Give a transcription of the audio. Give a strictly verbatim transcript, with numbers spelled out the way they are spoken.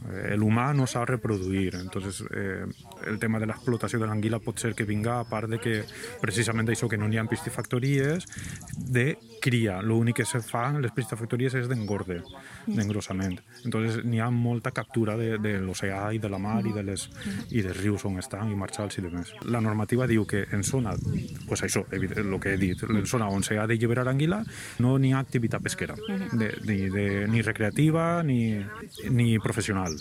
Eh, L'humà no sap reproduir, entonces eh, el tema de l'explotació de l'anguila pot ser que vinga a part de que precisament d'això que no n'hi ha piscifactories de cria, l'únic que se fa en les piscifactories és d'engorde, d'engrossament. Entonces n'hi ha molta captura de, de l'oceà i de la mar i, de les, i dels rius on estan i marxals i demés. La normativa diu que en zona, pues això, el que he dit, en zona on s'ha de lliberar anguila no n'hi ha activitat pesquera, de, ni, de, ni recreativa ni, ni professional.